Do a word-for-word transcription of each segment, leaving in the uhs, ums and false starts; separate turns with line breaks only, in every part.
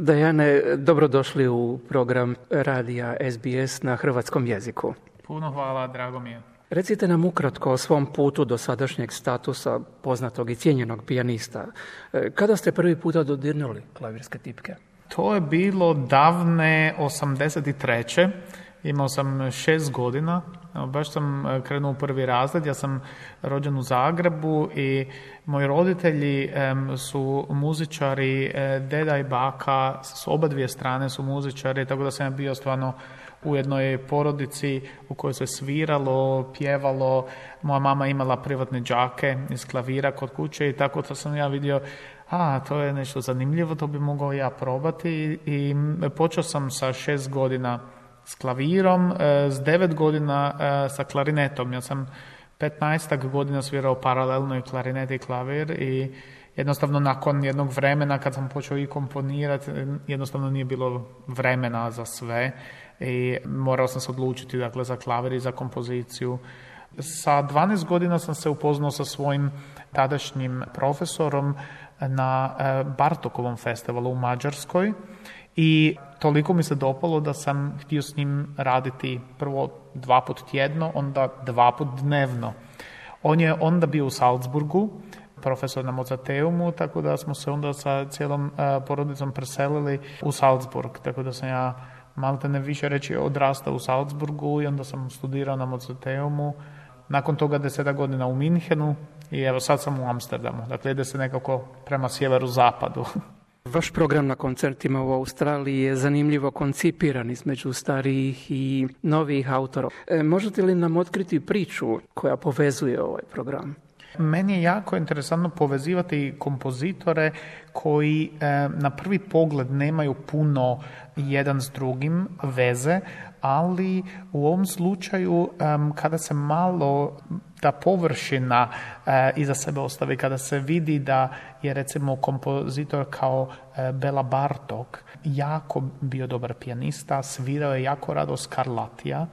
Dejane, dobrodošli u program radija S B S na hrvatskom jeziku.
Puno hvala, drago mi je.
Recite nam ukratko o svom putu do sadašnjeg statusa poznatog i cijenjenog pijanista. Kada ste prvi puta dodirnuli klavirske tipke?
To je bilo davne osamdeset treće Imao sam šest godina, baš sam krenuo u prvi razred, ja sam rođen u Zagrebu i moji roditelji em, su muzičari, e, deda i baka, s oba dvije strane su muzičari, tako da sam ja bio stvarno u jednoj porodici u kojoj se sviralo, pjevalo. Moja mama imala privatne đake iz klavira kod kuće i tako da sam ja vidio, a to je nešto zanimljivo, to bi mogao ja probati i počeo sam sa šest godina s klavirom, s devet godina sa klarinetom. Ja sam petnaestak godina svirao paralelno i klarinet i klavir i jednostavno nakon jednog vremena kad sam počeo i komponirati, jednostavno nije bilo vremena za sve i morao sam se odlučiti dakle, za klavir i za kompoziciju. Sa dvanaest godina sam se upoznao sa svojim tadašnjim profesorom na Bartokovom festivalu u Mađarskoj i toliko mi se dopalo da sam htio s njim raditi prvo dva put tjedno, onda dva put dnevno. On je onda bio u Salzburgu, profesor na Mozarteumu, tako da smo se onda sa cijelom uh, porodicom preselili u Salzburg, tako da sam ja malte ne više reći odrastao u Salzburgu i onda sam studirao na Mozarteumu. Nakon toga deseta godina u Minhenu i evo sad sam u Amsterdamu, dakle ide se nekako prema sjeveru-zapadu.
Vaš program na koncertima u Australiji je zanimljivo koncipiran između starijih i novih autora. E, možete li nam otkriti priču koja povezuje ovaj program?
Meni je jako interesantno povezivati kompozitore koji e, na prvi pogled nemaju puno jedan s drugim veze, ali u ovom slučaju e, kada se malo ta površina e, iza sebe ostavi, kada se vidi da je recimo kompozitor kao e, Bela Bartok jako bio dobar pijanista, svirao je jako rado Scarlattija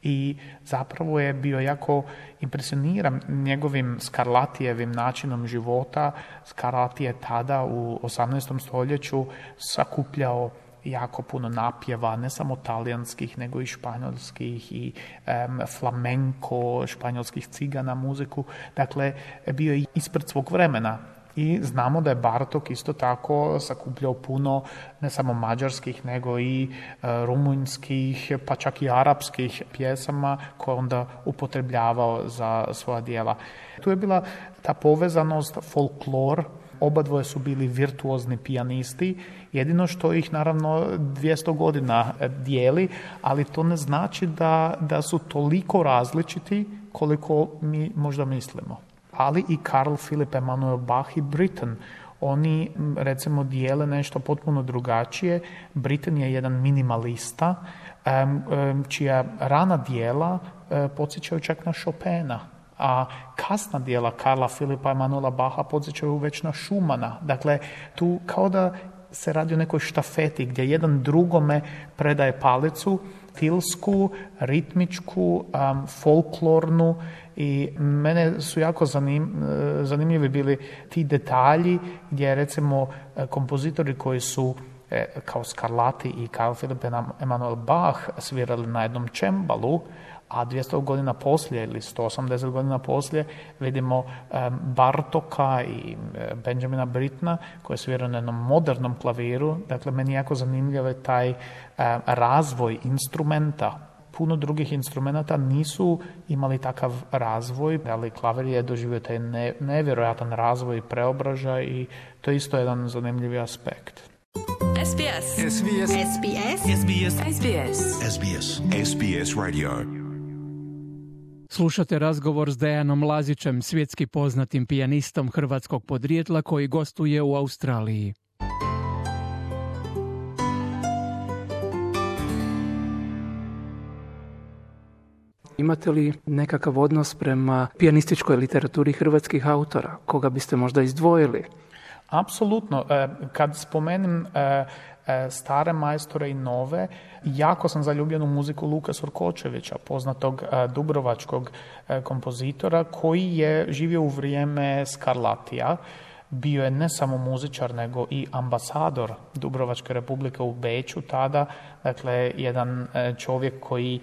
i zapravo je bio jako impresioniran njegovim Scarlattijevim načinom života. Scarlatti je tada u osamnaestom stoljeću sakupljao jako puno napjeva, ne samo talijanskih, nego i španjolskih i um, flamenko, španjolskih cigana, muziku. Dakle, bio je ispred svog vremena. I znamo da je Bartok isto tako sakupljao puno ne samo mađarskih, nego i e, rumunjskih, pa čak i arapskih pjesama koje onda upotrebljavao za svoja djela. Tu je bila ta povezanost, folklor, oba dvoje su bili virtuozni pijanisti, jedino što ih naravno dvjesto godina dijeli, ali to ne znači da, da su toliko različiti koliko mi možda mislimo. Ali i Carl Philipp Emanuel Bach i Britten. Oni recimo dijele nešto potpuno drugačije. Britten je jedan minimalista čija rana dijela podsjećaju čak na Chopina, a kasna dijela Karla Philippa Emanuela Bacha podsjećaju već na Schumana. Dakle, tu kao da se radi o nekoj štafeti gdje jedan drugome predaje palicu, stilsku, ritmičku, um, folklornu i mene su jako zanim, zanimljivi bili ti detalji gdje recimo kompozitori koji su kao Scarlatti i Carl Philipp Emanuel Bach svirali na jednom čembalu, a dvjesto godina poslije ili sto osamdeset godina poslije vidimo um, Bartoka i um, Benjamina Brittena koji sviraju na jednom modernom klaviru. Dakle, meni jako zanimljiv je taj um, razvoj instrumenta. Puno drugih instrumenta nisu imali takav razvoj, ali klavir je doživio taj ne, nevjerojatan razvoj i preobražaj i to je isto jedan zanimljivi aspekt.
S B S. S B S. S B S. S B S. S B S.
S B S. S B S Radio.
Slušate razgovor s Dejanom Lazićem, svjetski poznatim pijanistom hrvatskog podrijetla koji gostuje u Australiji. Imate li nekakav odnos prema pijanističkoj literaturi hrvatskih autora? Koga biste možda izdvojili?
Apsolutno. Kad spomenem stare majstore i nove, jako sam zaljubljen u muziku Luka Surkočevića, poznatog dubrovačkog kompozitora koji je živio u vrijeme Scarlattija. bio je ne samo muzičar, nego i ambasador Dubrovačke Republike u Beču tada. Dakle, jedan čovjek koji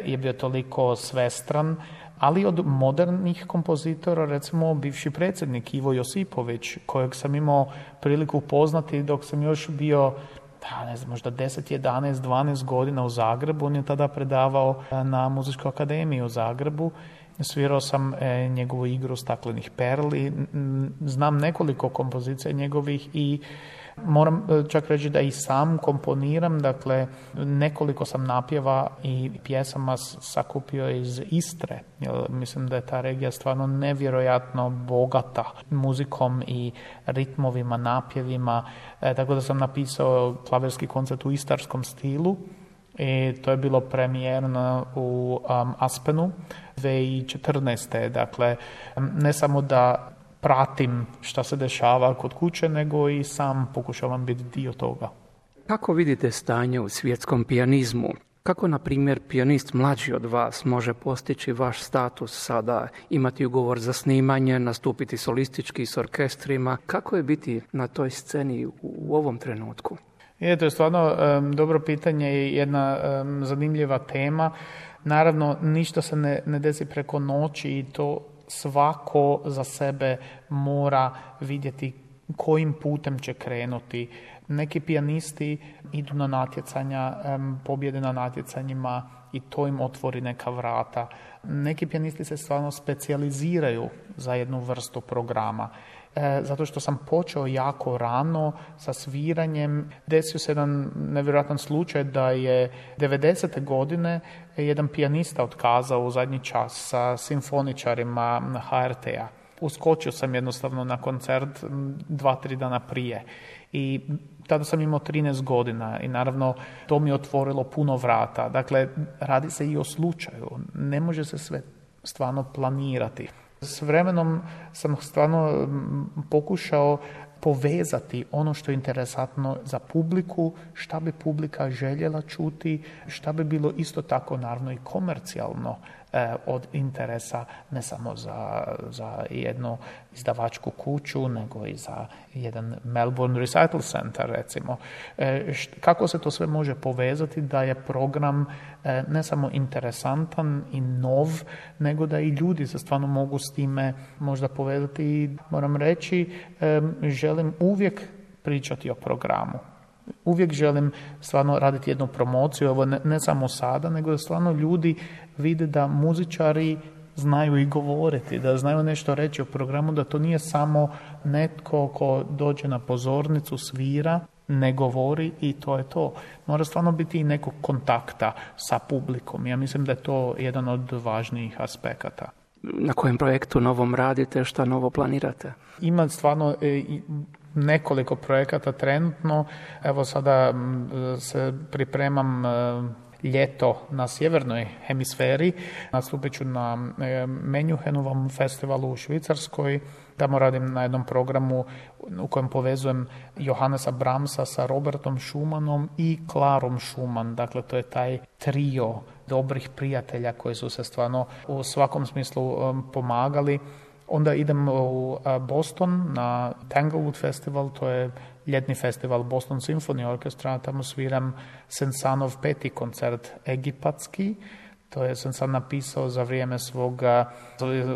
je bio toliko svestran, ali od modernih kompozitora, recimo bivši predsjednik Ivo Josipović, kojeg sam imao priliku upoznati dok sam još bio, da, ne znam, možda deset, jedanaest, dvanaest godina u Zagrebu. On je tada predavao na Muzičkoj akademiji u Zagrebu. Svirao sam e, njegovu igru Staklenih perli. Znam nekoliko kompozicija njegovih i moram čak reći da i sam komponiram. Dakle, nekoliko sam napjeva i pjesama sakupio iz Istre. Jer mislim da je ta regija stvarno nevjerojatno bogata muzikom i ritmovima, napjevima. E, tako da sam napisao klavirski koncert u istarskom stilu. I to je bilo premijerno u um, Aspenu dvije tisuće četrnaeste. Dakle, ne samo da pratim šta se dešava kod kuće, nego i sam pokušavam biti dio toga.
Kako vidite stanje u svjetskom pijanizmu? Kako, na primjer, pijanist mlađi od vas može postići vaš status sada, imati ugovor za snimanje, nastupiti solistički s orkestrima? Kako je biti na toj sceni u, u ovom trenutku?
Je, to je stvarno um, dobro pitanje i jedna um, zanimljiva tema. Naravno, ništa se ne, ne desi preko noći i to svako za sebe mora vidjeti kojim putem će krenuti. Neki pijanisti idu na natjecanja, um, pobjede na natjecanjima i to im otvori neka vrata. Neki pijanisti se stvarno specijaliziraju za jednu vrstu programa. E, zato što sam počeo jako rano sa sviranjem. Desio se jedan nevjerojatan slučaj da je devedesete godine jedan pijanista otkazao u zadnji čas sa simfoničarima H R T-a. Uskočio sam jednostavno na koncert dva, tri dana prije. I tada sam imao trinaest godina i naravno to mi je otvorilo puno vrata. Dakle, radi se i o slučaju. Ne može se sve stvarno planirati. S vremenom sam stvarno pokušao povezati ono što je interesantno za publiku, šta bi publika željela čuti, šta bi bilo isto tako naravno i komercijalno eh, od interesa ne samo za, za jednu izdavačku kuću, nego i za jedan Melbourne Recital Center recimo. Eh, št, kako se to sve može povezati da je program eh, ne samo interesantan i nov, nego da i ljudi se stvarno mogu s time možda povezati i moram reći, eh, želim uvijek pričati o programu. Uvijek želim stvarno raditi jednu promociju, ovo ne, ne samo sada, nego da stvarno ljudi vide da muzičari znaju i govoriti, da znaju nešto reći o programu, da to nije samo netko ko dođe na pozornicu, svira, ne govori i to je to. Mora stvarno biti i nekog kontakta sa publikom. Ja mislim da je to jedan od važnijih aspekata.
Na kojem projektu novom radite, šta novo planirate?
Ima stvarno e, nekoliko projekata trenutno. Evo sada se pripremam e, ljeto na sjevernoj hemisferi. Nastupit ću na e, Menjuhenovom festivalu u Švicarskoj. Tamo radim na jednom programu u kojem povezujem Johannesa Brahmsa sa Robertom Schumannom i Klarom Schumann. Dakle, to je taj trio dobrih prijatelja koji su se stvarno u svakom smislu um, pomagali. Onda idem u uh, Boston na Tanglewood Festival, to je ljetni festival Boston Symphony Orchestra. Tamo sviram Sensanov peti koncert egipatski. To je sam sam napisao za vrijeme svoga,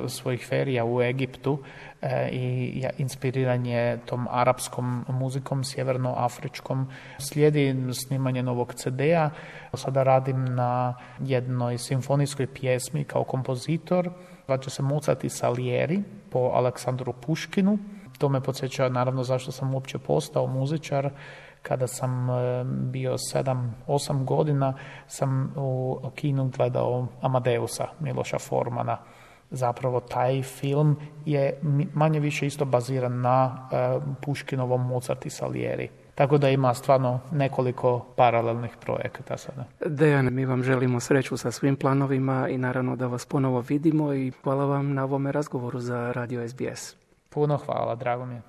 svojih ferija u Egiptu e, i ja, inspiriran je tom arapskom muzikom, sjevernoafričkom. Slijedi snimanje novog ce de-a. Sada radim na jednoj simfonijskoj pjesmi kao kompozitor. Zvaće se Mozart i Salieri po Aleksandru Puškinu. To me podsjeća naravno zašto sam uopće postao muzičar. Kada sam bio sedam, osam godina, sam u kinu gledao Amadeusa Miloša Formana. Zapravo taj film je manje više isto baziran na Puškinovom Mozart i Salieri. Tako da ima stvarno nekoliko paralelnih projekata sada.
Dejan, mi vam želimo sreću sa svim planovima i naravno da vas ponovo vidimo i hvala vam na ovome razgovoru za Radio es be es.
Puno hvala, drago mi je.